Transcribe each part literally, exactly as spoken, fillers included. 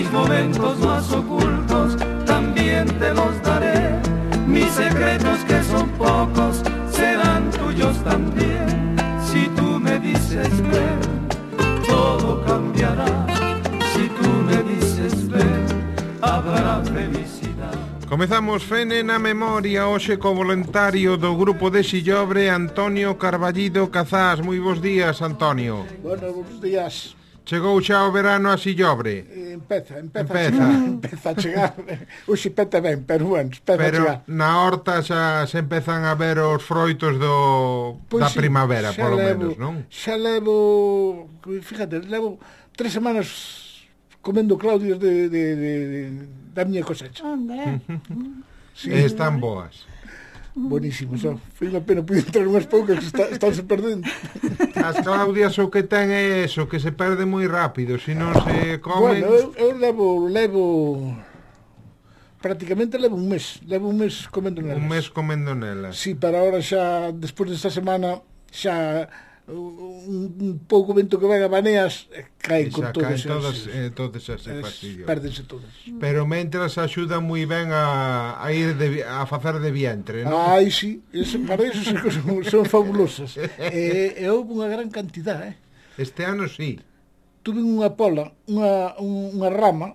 mis momentos más ocultos también te los daré. Mis secretos que son pocos serán tuyos también. Si tú me dices ven, todo cambiará. Si tú me dices ven, habrá felicidad. Comezamos Fene na Memoria hoxe co voluntario do grupo de Sillobre, Antonio Carballido Cazás. Moi bons días, Antonio. Bueno, bons días. Chegou xa o verano a Sillobre? Eh, empeza, empeza, empeza. A chegar, empeza a chegar. Oxe peta ben, pero bueno, empeza pero a chegar. Pero na horta xa se empezan a ver os froitos do pues da sí, primavera, polo levo, menos, non? Xa levo, fíjate, levo tres semanas comendo claudias de, de, de, de da miña cosecha. Anda. Sí. Están boas. Buenísimo, xa. Foi unha pena poder entrar unhas poucas que está, estánse perdendo. As claudias o que ten é eso, que se perde moi rápido, se non se comen. Bueno, eu, eu levo, levo prácticamente levo un mes, levo un mes comendo nelas. Un mes comendo nelas. Sí, para ahora xa, despois desta semana, xa un, un pouco vento que venga baneas, caen con todas todas, as, eh, todas as fastidios. Pérdense todas. Pero mentras axuda moi ben a, a ir de, a facer de vientre, non? Ai, sí, eso, para eso son, son fabulosas. E, e houve unha gran cantidad, eh? Este ano sí. Tuve unha pola, unha, unha rama,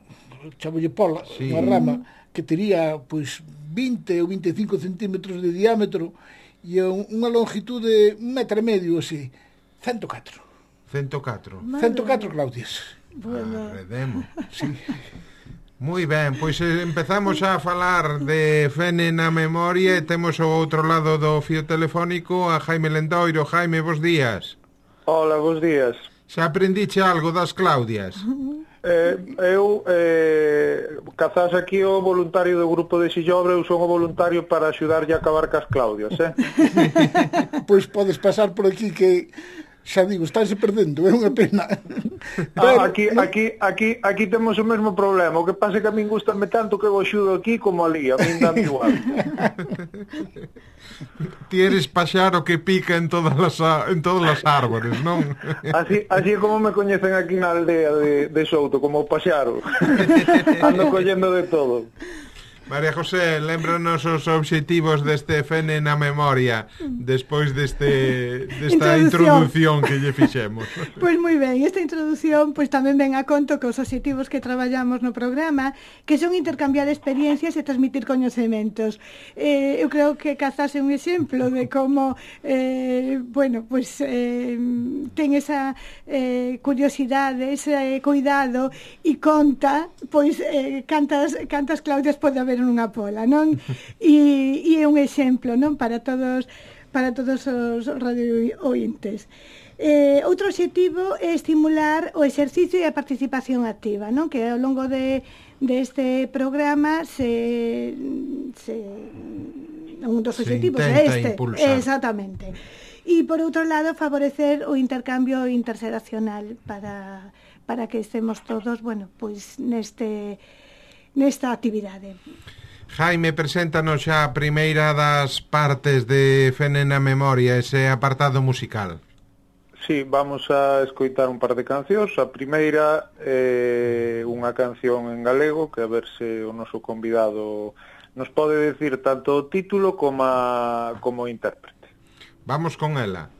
chavolle pola, sí. Unha rama que tería, pois, vinte ou vinte e cinco centímetros de diámetro e unha longitud de un metro e medio, así, ciento catro. ciento catro. ciento catro claudias. Bueno. Ah, redemo. Sí. Moi ben, pois empezamos a falar de Fene na Memoria e temos ao outro lado do fío telefónico a Jaime Lendoiro. Jaime, bons días. Hola, bons días. Xa aprendiche algo das claudias? Eh, eu, eh, Cazás aquí o voluntario do grupo de Sillobre, eu son o voluntario para axudarlle a acabar cas claudias, eh? Pois podes pasar por aquí que xa digo, estánse perdendo, é unha pena. Pero, ah, aquí, aquí, aquí, aquí temos o mesmo problema. O que pasa é que a min gustame tanto que eu axudo aquí como ali, a min dame igual. Ti eres paxaro que pica en todas as en todas as árbores, non? Así, así é como me coñecen aquí na aldea de, de Souto, como o paxaro. Ando collendo de todo. María José, lembranos os obxectivos deste Fene na Memoria despois deste desta introducción, introducción que lle fixemos. Pois moi ben, esta introducción pois tamén ven a conto que os obxectivos que traballamos no programa, que son intercambiar experiencias e transmitir coñecementos. Eh, eu creo que Cazás é un exemplo de como eh, bueno, pois eh, ten esa eh, curiosidade, ese cuidado e conta pois eh, cantas cantas claudias pode haber nunha pola, non? E, e é un exemplo, non? Para todos para todos os radio ointes. Eh, outro obxectivo é estimular o exercicio e a participación activa, non? Que ao longo de deste programa se se un dos obxectivos é este, impulsar. Exactamente. E por outro lado favorecer o intercambio interxeracional para para que estemos todos, bueno, pois neste nesta actividade. Jaime, preséntanos xa a primeira das partes de Fene na Memoria, ese apartado musical. Sí, vamos a escoitar un par de cancións. A primeira é eh, unha canción en galego, que a ver se o noso convidado nos pode decir tanto o título como a, como o intérprete. Vamos con ela.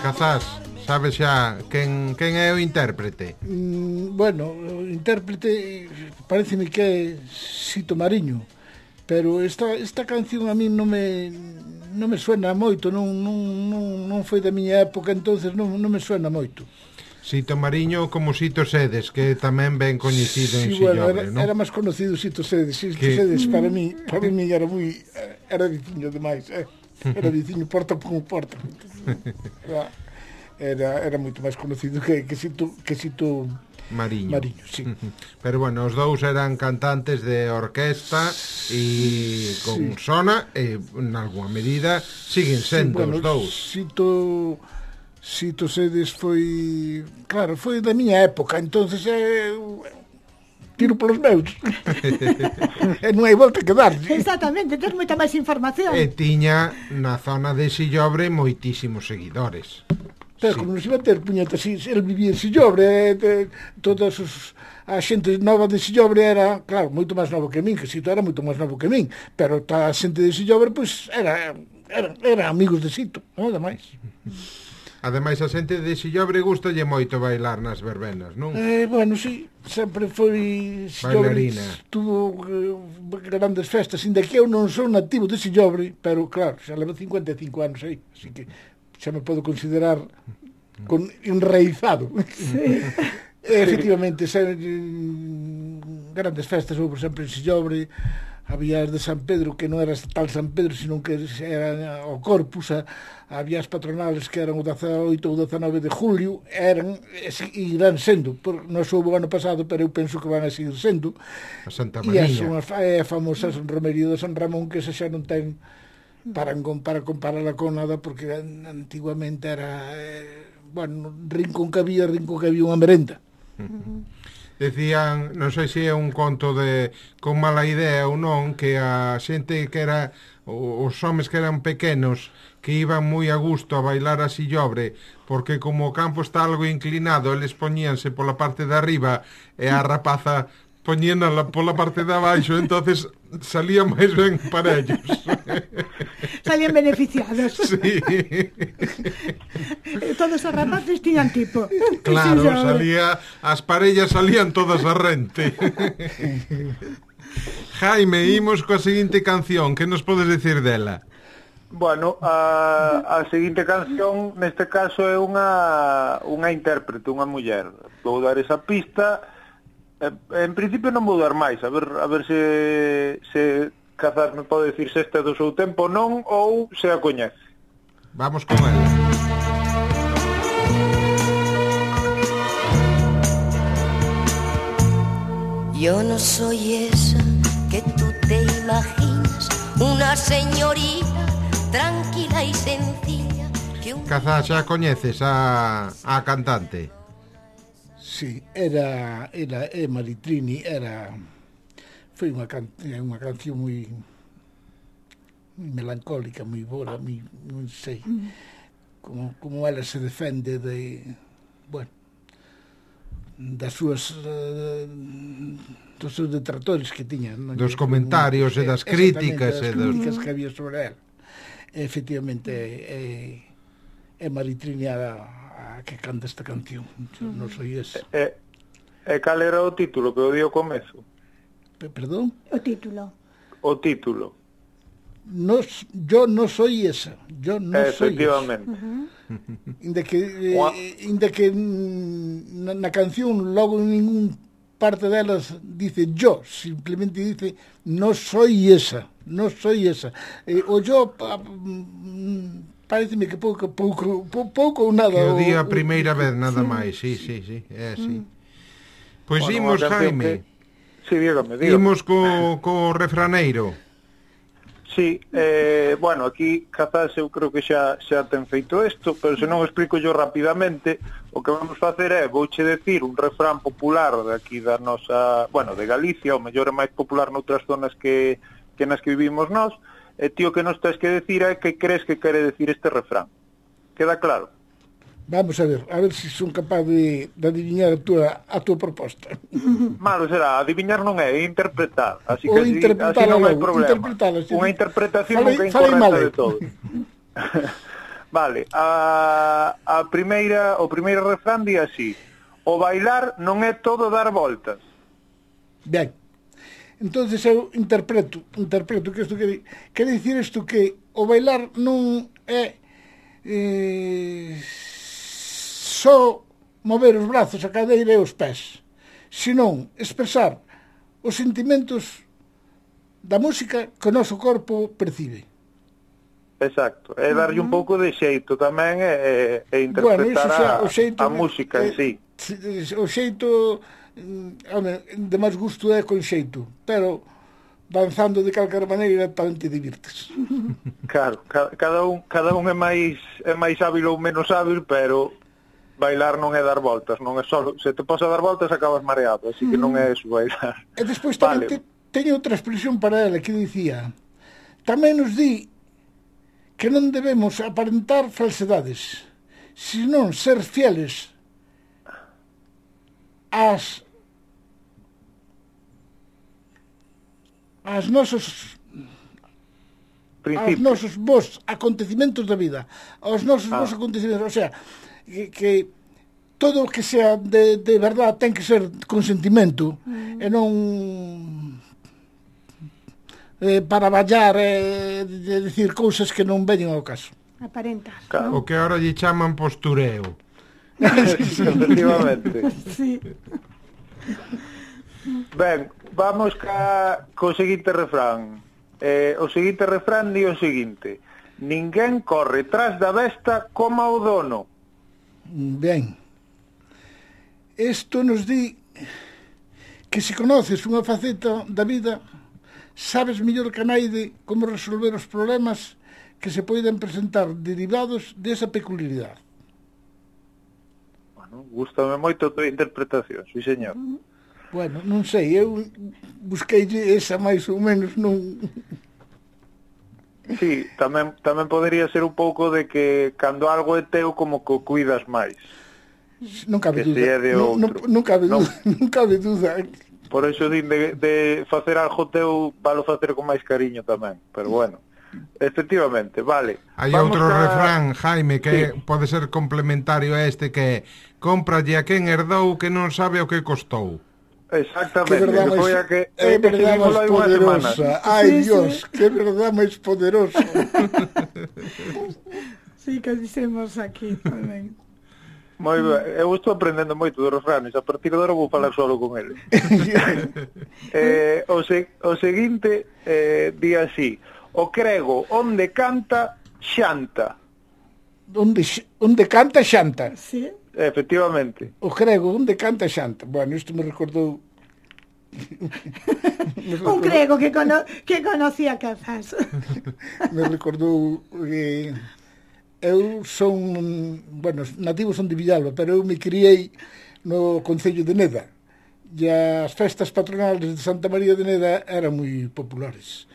Cazás, sabes xa quen, quen é o intérprete? Mm, bueno, o intérprete pareceme que é Sito Mariño, pero esta, esta canción a mí non me non me suena moito, non, non, non, non foi da miña época, entonces non, non me suena moito. Sito Mariño como Sito Sedes, que tamén ben coñecido sí, en Sillobre, bueno, era, non? Era máis conocido Sito Sedes. Sito que... Sedes para mí, para mí era moi era viciño demais, eh. Era viciño porta por porta. Era era moito máis conocido que que Sito que Sito Mariño. Mariño, sí. Pero bueno, os dous eran cantantes de orquesta e con sí. sona e en alguma medida siguen sendo sí, bueno, os dous. Sito Sito Sedes foi, claro, foi da miña época, entonces é eh, tiro polos meus. E non hai volta que dar. Exactamente, tens moita máis información. E tiña na zona de Sillobre moitísimos seguidores. Pero Sí. como non se vai ter puñetas, el vivía en Sillobre, eh, todas os, a xente nova de Sillobre era, claro, moito máis novo que min, que Sito era moito máis novo que min, pero a xente de Sillobre, pois, era, era, era amigos de Sito, nada máis. Ademais, a xente de Sillobre gustalle moito bailar nas verbenas, non? Eh, bueno, sí, sempre foi Sillobre, Bailarina. tuvo eh, grandes festas, inda que eu non son nativo de Sillobre, pero claro, xa levo cincuenta e cinco anos aí, así que xa me podo considerar con enraizado. Sí. E, efectivamente, se, mm, grandes festas houve sempre en Sillobre, había as de San Pedro, que non era tal San Pedro, sino que era o Corpus, a, había as patronales que eran o dezaoito ou dezanove de julio, eran, e irán sendo, por, non houve o ano pasado, pero eu penso que van a seguir sendo, A Santa e as Mariña. unha é a famosa romería de San Ramón, que esa xa non ten para, para compararla con nada, porque antiguamente era eh, bueno, rincón que había, rincón que había unha merenda. Uh-huh. Decían, non sei se é un conto de con mala idea ou non, que a xente que era os homes que eran pequenos que iban moi a gusto a bailar a Sillobre, porque como o campo está algo inclinado, eles poñíanse pola parte de arriba e a rapaza poñénala pola parte de abaixo, entonces salía máis ben para ellos. Salían beneficiados. Sí. Todos os rapaces tiñan tipo. Claro, Sí, xa, salía, as parellas salían todas a rente. Jaime, imos coa seguinte canción, que nos podes decir dela? Bueno, a, a seguinte canción neste caso é unha unha intérprete, unha muller. Vou dar esa pista. En principio non vou dar máis, a ver a ver se se Cazás me pode decir se este é do seu tempo non ou se a coñece. Vamos con ela. Yo no soy esa que tú te imaginas, una señorita tranquila y sencilla que un... Cazás, xa coñeces a, a cantante? Sí, era, era é Maritrini, era foi unha, can, unha canción moi moi melancólica, moi boa, moi, non sei, como, como ela se defende de, bueno, das súas uh, dos seus detractores que tiña, non? Dos comentarios e das críticas e e das dos... críticas que había sobre ela. Efectivamente é, é Maritrini a, a que canta esta canción. Yo non soy ese. E, e cal era o título que o di ao comezo? Perdón? O título. O título. No, yo no soy esa. Yo no soy esa. Efectivamente. Uh-huh. Inda que, eh, inda que na, na canción logo en ningún parte delas dice yo, simplemente dice no soy esa, no soy esa. Eh, o yo pa, pareceme que pouco pouco pouco ou nada. Que o día a o, primeira o, vez nada sí, máis, sí, sí, sí, é así. Pois Bueno, imos, a canción Jaime. que- Sí, dígame, dígame. Imos co, co refraneiro. Sí, eh, bueno, aquí Cazás eu creo que xa xa ten feito isto, pero se non explico yo rapidamente, o que vamos facer é, vouche decir un refrán popular de aquí da nosa, bueno, de Galicia, o mellor é máis popular noutras zonas que, que nas que vivimos nós, e tío que nos tens que decir é que crees que quere decir este refrán. Queda claro? Vamos a ver, a ver se si son capaz de, de adivinar a túa, a túa proposta. Malo será, adiviñar non é, é interpretar, así Ou que así, interpretala así non hai logo, problema. interpretala, sí. Unha interpretación Falei- nunca falei mal, incorrecta eh. de todo. Vale, a, a primeira, o primeiro refrán di así: o bailar non é todo dar voltas. Ben, entonces eu interpreto, interpreto que isto quere, quere dicir isto que o bailar non é eh, só mover os brazos, a cadeira e os pés, senón expresar os sentimentos da música que o noso corpo percibe. Exacto, é darlle un pouco de xeito tamén e, e Bueno, iso interpretar xa, a, o xeito a música en é, sí. o xeito, home, de máis gusto é con xeito, pero danzando de calquera maneira tamén te divirtes. Claro, cada un, cada un é máis é máis hábil ou menos hábil, pero bailar non é dar voltas, non é só, se te pasa a dar voltas acabas mareado, así que non é eso bailar. E despois tamén vale. te, teño outra expresión para ela que dicía, tamén nos di que non debemos aparentar falsedades, senón ser fieles ás as nosos aos nosos bons acontecimentos da vida, aos nosos ah. bons acontecimentos, o sea, que, que todo o que sea de, de verdad ten que ser con sentimento mm. e non eh, para ballar e eh, de decir cousas que non veñen ao caso. Aparentar, claro. ¿No? O que ahora lle chaman postureo. Efectivamente. Sí. Ben, vamos ca, co seguinte refrán. Eh, o seguinte refrán di o seguinte: ninguén corre tras da besta como o dono. Ben, isto nos di que se conoces unha faceta da vida, sabes mellor que naide como resolver os problemas que se poden presentar derivados desa peculiaridade. Bueno, gústame moito a tua interpretación, sí señor. Bueno, non sei, eu busquei esa máis ou menos, non... Sí, tamén, tamén podería ser un pouco de que cando algo é teu como que o cuidas máis. Non cabe que duda, si non, non, non cabe non. duda, non cabe duda. Por eso din de, de facer algo teu, valo facer con máis cariño tamén, pero bueno. Efectivamente, vale. Hai outro a... refrán, Jaime, que sí. pode ser complementario a este, que cómpralle a quen herdou que non sabe o que costou. Exactamente, que foi a que é verdade máis poderosa. Ai, sí, Dios, sí. Que verdade máis poderosa. Sí, que dicemos aquí tamén. Moi ben, eu estou aprendendo moito dos refranes, a partir de agora vou falar solo con ele. eh, o, se, o seguinte eh, di así: o crego onde canta, xanta. Onde, onde canta, xanta. Sí. Efectivamente. O crego onde canta, xanta. Bueno, isto me recordou... me recordou... Un crego que, cono... que conocía Cazás. Me recordou... Eh... Eu son... Bueno, nativos son de Villalba, pero eu me criei no concello de Neda. E as festas patronales de Santa María de Neda eran moi populares.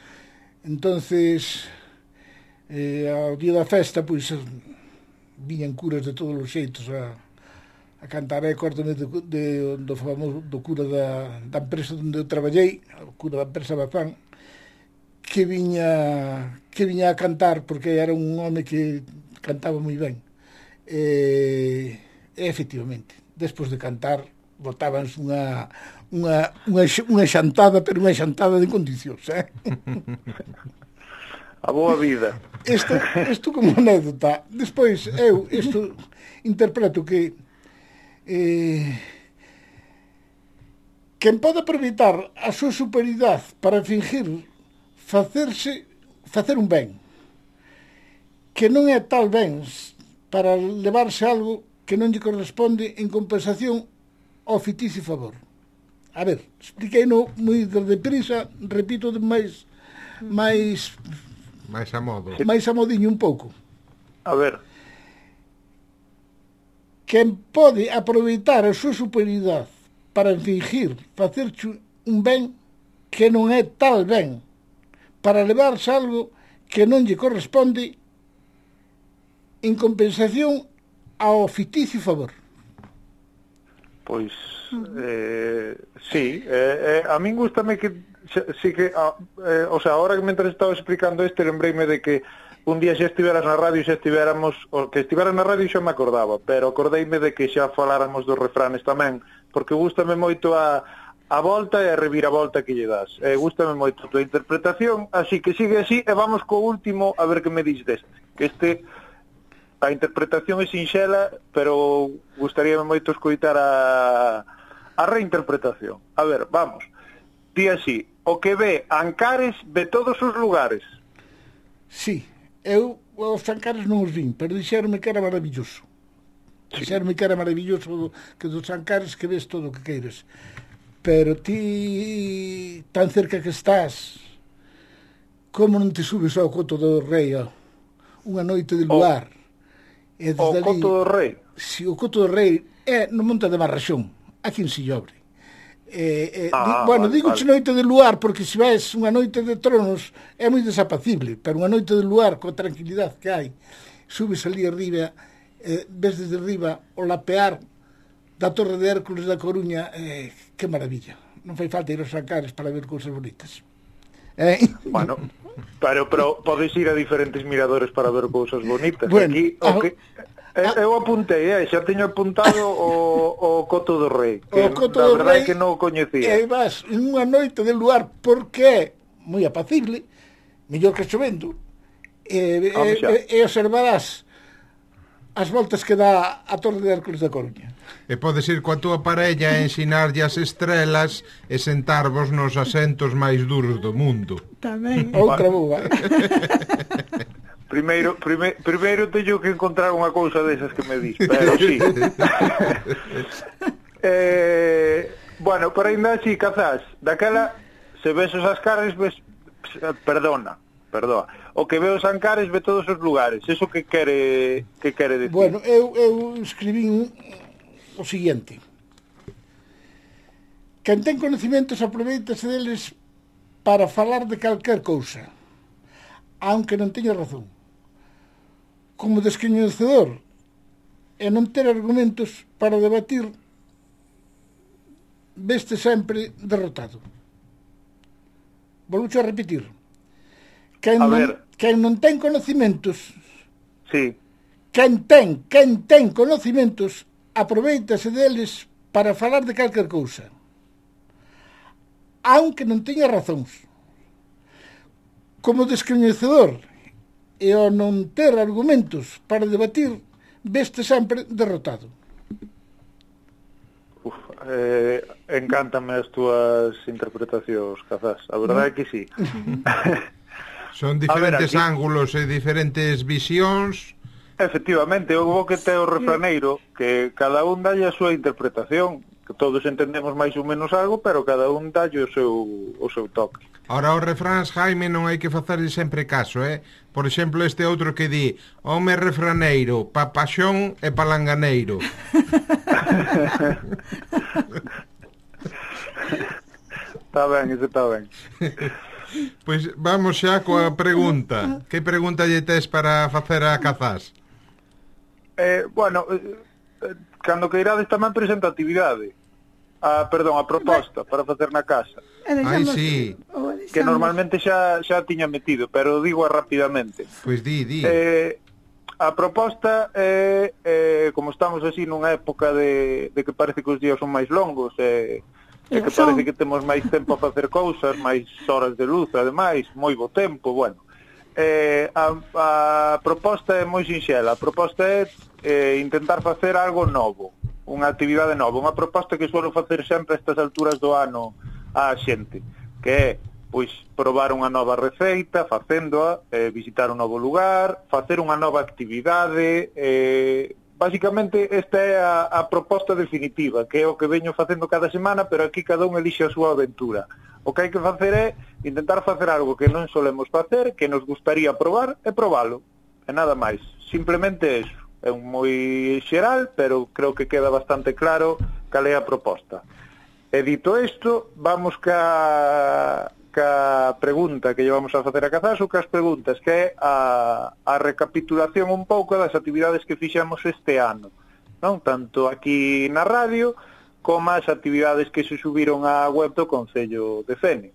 Entonces, eh, ao día da festa, pois, viñan curas de todos os xeitos a, a cantar. E córtome de, de, do famoso do cura da, da empresa onde eu traballei, o cura da empresa Bazán, que viña que viña a cantar, porque era un home que cantaba moi ben. E, e efectivamente, despois de cantar, botábanse unha unha, unha, unha xantada, pero unha xantada de condicións, eh? A boa vida. Isto, isto como anécdota. Despois, eu isto interpreto que eh, quen pode aproveitar a súa superioridade para fingir facerse facer un ben que non é tal ben para levarse algo que non lle corresponde en compensación ao ficticio favor. A ver, expliquei no moi deprisa, repito de máis máis máis a modo. máis a modiño un pouco. A ver. Quen pode aproveitar a súa superioridade para fingir facerche un ben que non é tal ben, para levarse algo que non lle corresponde en compensación ao ficticio favor. Pois, eh, sí, eh, eh, a min gustame que, sí que, ah, eh, o sea, ahora que mentre estaba explicando este, lembreime de que un día xa estiveras na radio, xa estivéramos, o que estiveras na radio xa me acordaba, pero acordeime de que xa faláramos dos refranes tamén, porque gustame moito a, a volta e a reviravolta que lle das. Eh, gustame moito a tua interpretación, así que sigue así, e vamos co último a ver que me dis deste. Que este... A interpretación é sinxela, pero gustaríame moito escoitar a, a reinterpretación. A ver, vamos. Di así: o que ve Ancares de todos os lugares. Sí, eu os Ancares non os vin, pero dixeronme que era maravilloso. Dixerme que era maravilloso que dos Ancares que ves todo o que queiras. Pero ti, tan cerca que estás, como non te subes ao Coto do Rei, ó, unha noite de luar? O, o ali, Coto do Rei? Si, o Coto do Rei é no Monte de Marraxón, aquí en Sillobre. Eh, eh, ah, di, bueno, vale, digo vale. noite de luar porque se ves unha noite de tronos é moi desapacible, pero unha noite de luar coa tranquilidade que hai, subes ali arriba, eh, ves desde arriba o lapear da Torre de Hércules da Coruña, eh, que maravilla. Non fai falta ir aos Ancares para ver cousas bonitas. Eh? Bueno, pero, pero podes ir a diferentes miradores para ver cousas bonitas. Bueno, aquí o que Eh, eu apuntei, eh, xa teño apuntado o, o Coto do Rei, que o Coto da do verdade Rei, que non o coñecía. E vas en unha noite de luar porque é moi apacible, mellor que chovendo, e, ah, e, e observarás as voltas que dá a Torre de Hércules da Coruña. E podes ir coa túa parella a ensinarlle as estrelas e sentarvos nos asentos máis duros do mundo. Tamén. Outra boa. Primeiro, prime, primeiro teño que encontrar unha cousa desas que me dis, pero sí. eh, bueno, pero ainda así, Cazás, daquela, se ves os Ancares, ves, perdona, perdona, o que ve os Ancares ve todos os lugares, eso que quere, que quere decir? Bueno, eu, eu escribí un, o seguinte: quen ten conhecimentos aproveitase deles para falar de calquer cousa, aunque non teña razón. Como descoñecedor e non ter argumentos para debatir, veste sempre derrotado. Volvo a repetir: quen a non, ver. quen non ten conhecimentos, sí. quen ten, quen ten conhecimentos, aproveitase deles para falar de calquer cousa, aunque non teña razóns. Como descoñecedor e ao non ter argumentos para debatir, veste sempre derrotado. Uf, eh, encántame as túas interpretacións, Cazás, a verdade é que sí. Son diferentes ver, aquí... ángulos e diferentes visións. Efectivamente, o bo que ten o refraneiro, que cada un dalle a súa interpretación, que todos entendemos máis ou menos algo, pero cada un dalle o seu, o seu toque. Ora, os refráns, Jaime, non hai que facerle sempre caso, eh? Por exemplo, este outro que di: home refraneiro, pa paxón e palanganeiro. Está ben, iso está ben. Pois vamos xa coa pregunta. Que pregunta lle tes para facer a Cazás? Eh, bueno, eh, cando que irades tamén presenta actividade. A, perdón, a proposta para facer na casa. Ai, sí. Que normalmente xa xa tiña metido, pero digo rapidamente. Pois di, di. Eh, a proposta é, eh, como estamos así nunha época de, de que parece que os días son máis longos, e, e que parece que temos máis tempo a facer cousas, máis horas de luz, ademais, moi bo tempo, bueno. Eh, a, a proposta é moi sinxela. A proposta é eh, intentar facer algo novo, unha actividade nova, unha proposta que suelo facer sempre a estas alturas do ano á xente, que é, pois, probar unha nova receita, facéndoa, eh, visitar un novo lugar, facer unha nova actividade, eh, basicamente esta é a, a proposta definitiva, que é o que veño facendo cada semana, pero aquí cada un elixe a súa aventura. O que hai que facer é intentar facer algo que non solemos facer, que nos gustaría probar, e probalo, e nada máis, simplemente eso. É un moi xeral, pero creo que queda bastante claro cal é a proposta. E dito isto, vamos ca, ca pregunta que llevamos a facer a Cazás, ou cas preguntas, que é a, a recapitulación un pouco das actividades que fixemos este ano, non? Tanto aquí na radio, como as actividades que se subiron á web do Concello de Fene.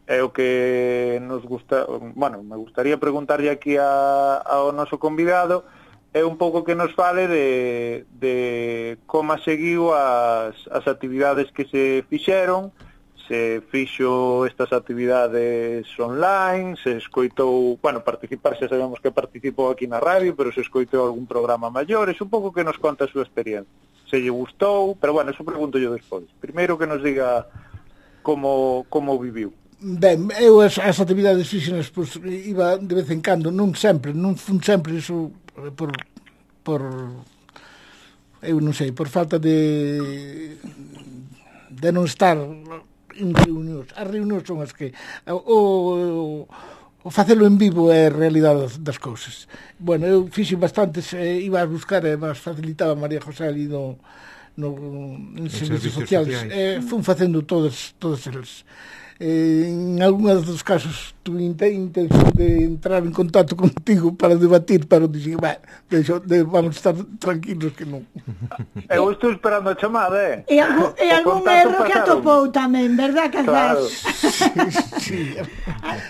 É o que nos gusta, bueno, me gustaría preguntarlle aquí a, ao noso convidado, é un pouco que nos fale de, de como seguiu as, as actividades que se fixeron, se fixo estas actividades online, se escoitou, bueno, participar, xa sabemos que participou aquí na radio, pero se escoitou algún programa maior, é un pouco que nos conta a súa experiencia. Se lle gustou, pero bueno, eso pregunto yo despois. Primeiro que nos diga como, como viviu. Ben, eu as, as actividades fíxenas, pois, iba de vez en cando, non sempre, non fun sempre iso por, por eu non sei, por falta de de non estar en reunións. As reunións son as que o, o, o facelo en vivo é a realidade das, das cousas. Bueno, eu fixe bastantes, eh, iba a buscar e vas facilitaba María José ali no, no, en servicios sociales. Eh, fun facendo todos, todos eles. Eh, en algúns dos casos tuve intención de entrar en contacto contigo para debatir, pero dixen, bah, deixo, de, vamos estar tranquilos que non. Eu estou esperando a chamada, eh? E, algún, e algún erro que atopou tamén, verdad, Cazás? Claro. Sí, sí.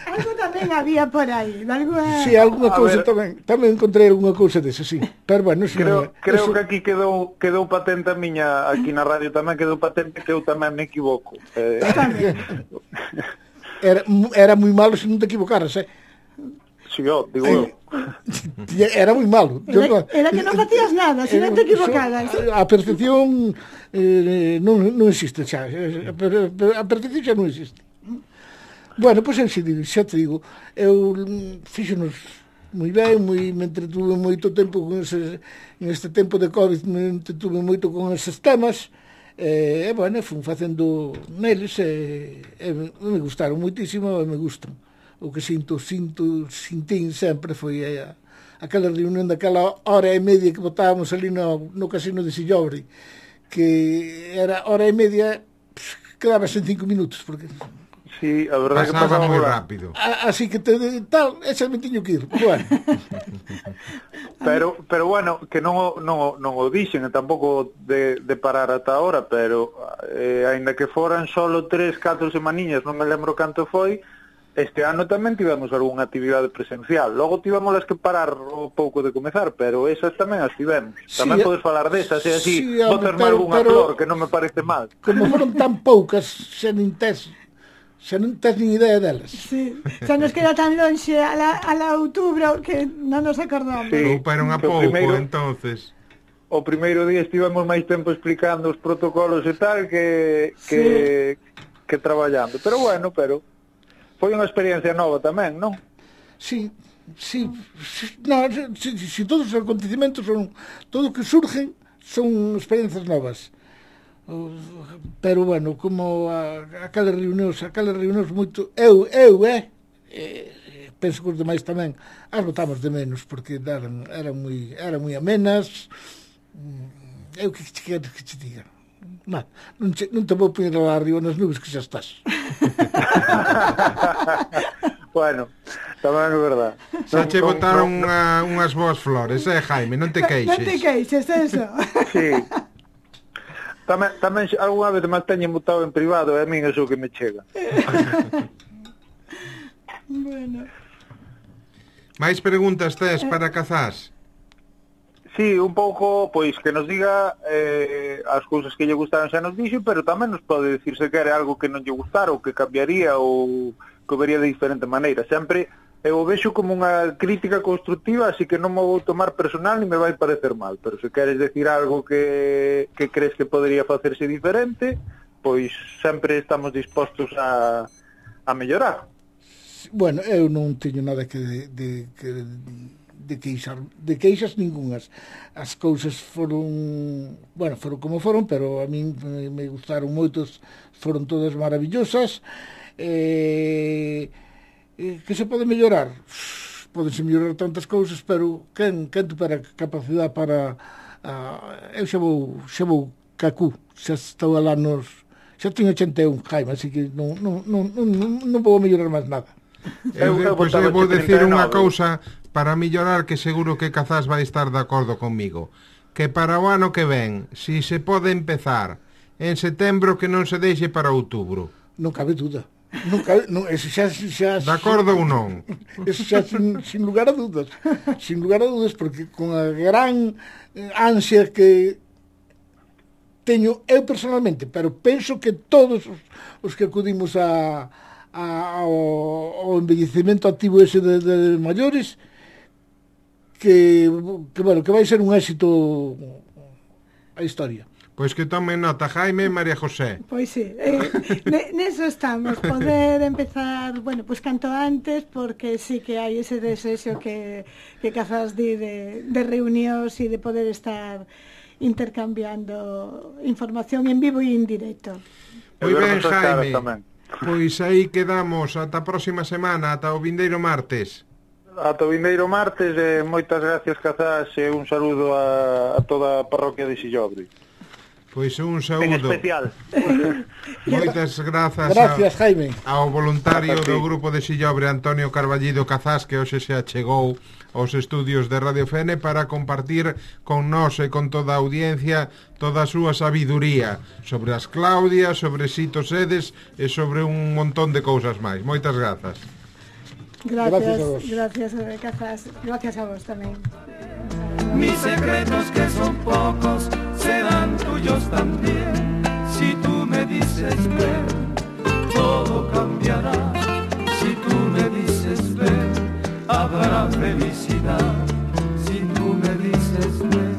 Algo tamén había por aí, alguna... Sí, alguna cousa tamén, tamén encontrei alguna cousa desa, sí. Pero bueno, eso creo, non, creo eso... que aquí quedou quedou patente a miña, aquí na radio tamén quedou patente que eu tamén me equivoco. Eh... Era, era moi malo se non te equivocaras, eh? Si, yo, digo eu. Era moi malo. Era, yo, era que non facías nada, se non te equivocaras. A perfección eh, non, non existe xa. A perfección xa non existe. Bueno, pois pues, xa te digo, eu fíxonos moi ben, moi, me entretuve moito tempo con ese, en este tempo de COVID me entretuve moito con eses temas. E, eh, bueno, fun facendo neles e, e me gustaron moitísimo e me gustan. O que sinto, sinto, sintín sempre foi a, aquela reunión daquela hora e media que botábamos ali no, no casino de Sillobre, que era hora e media, pff, quedabas en cinco minutos, porque... Sí, a verdade pasaba que pasaba moi rápido. A, así que te, tal, ese me tiño que ir. Bueno. pero pero bueno, que non o, non, o, non o dixen, e tampouco de, de parar ata ahora, pero eh, aínda que foran solo tres, catro semaniñas, non me lembro canto foi, este ano tamén tivemos algunha actividade presencial. Logo tivemos las que parar o pouco de comezar, pero esas tamén as tivemos. Tamén sí, podes falar desas, e así, sí, botasme algunha flor, que non me parece mal. Como foron tan poucas, xa nin tes... xa non tens nin idea delas. Sí, xa nos queda tan lonxe a la, a la outubro que non nos acordamos. Sí, pero a pouco, primeiro, entonces. O primeiro día estivemos máis tempo explicando os protocolos e tal que que, sí. que traballando. Pero bueno, pero foi unha experiencia nova tamén, non? Sí, sí, sí, no, sí, sí, sí, todos os acontecimentos son, todo o que surgen son experiencias novas. Pero bueno, como a, aquelas reunións, aquelas reunións moito, eu, eu, eh, eh penso que os demais tamén as notamos de menos, porque eran, eran moi, eran moi amenas. Eu que te quero que te diga, non, non, te, non te vou poñer lá arriba nas nubes que xa estás. Bueno, tamén é verdade. Xa che botaron no, no, unhas boas flores, eh, Jaime, non te queixes. Non te queixes, eso. Sí. Tamén, tamén algunha vez máis teñen botado en privado, e a min iso que me chega. Bueno. Mais preguntas tes para Cazás? Sí, un pouco, pois, que nos diga eh, as cousas que lle gustaron xa nos dixo, pero tamén nos pode dicir se quere algo que non lle gustara ou que cambiaría ou que vería de diferente maneira. Sempre eu o vexo como unha crítica constructiva, así que non me vou tomar personal ni me vai parecer mal, pero se queres decir algo que, que crees que podría facerse diferente, pois sempre estamos dispostos a, a mellorar. Bueno, eu non teño nada que de, de, de, de queixar, de queixas ningunhas. As cousas foron, bueno, foron como foron, pero a min me, me gustaron moitos, foron todas maravillosas. Eh... que se pode mellorar? Podense mellorar tantas cousas, pero quen, quen tupera capacidade para uh, eu xa vou xa vou cacú, xa estou alá nos xa teño ochenta e un, Jaime, así que non, non, non, non, non vou mellorar máis nada. Eu, eu, pois eu vou decir unha cousa para mellorar que seguro que Cazás vai estar de acordo comigo, que para o ano que ven, si se pode empezar en setembro, que non se deixe para outubro. Non cabe duda. Nunca, non, eso xa, xa, de acordo ou non? Eso xa sin, sin lugar a dudas, sin lugar a dudas, porque con a gran ansia que teño eu personalmente, pero penso que todos os, os que acudimos a, a, ao, ao envellecemento activo ese de, de maiores, que, que, bueno, que vai ser un éxito a historia. Pois que tomen nota, Jaime e María José. Pois sí, eh, neso estamos, poder empezar, bueno, pois canto antes, porque sí que hai ese desexo que, que Cazás di de, de reunións e de poder estar intercambiando información en vivo e en directo. Moi ben, Jaime. Pois aí quedamos ata a próxima semana, ata o vindeiro martes. Ata o vindeiro martes, e moitas gracias, Cazás, e un saludo a, a toda a parroquia de Sillobre. Pois un saúdo. En especial. Moitas grazas, gracias, a, Jaime. ao voluntario do grupo de Sillobre, Antonio Carballido Cazás, que hoxe se achegou aos estudios de Radio Fene para compartir con nós e con toda a audiencia toda a súa sabiduría sobre as Claudias, sobre Sito Sedes e sobre un montón de cousas máis. Moitas grazas. Gracias, gracias, Cazás. Gracias a vos tamén. Mis secretos que son pocos serán tuyos también. Si tú me dices ven, todo cambiará. Si tú me dices ven, habrá felicidad. Si tú me dices ven.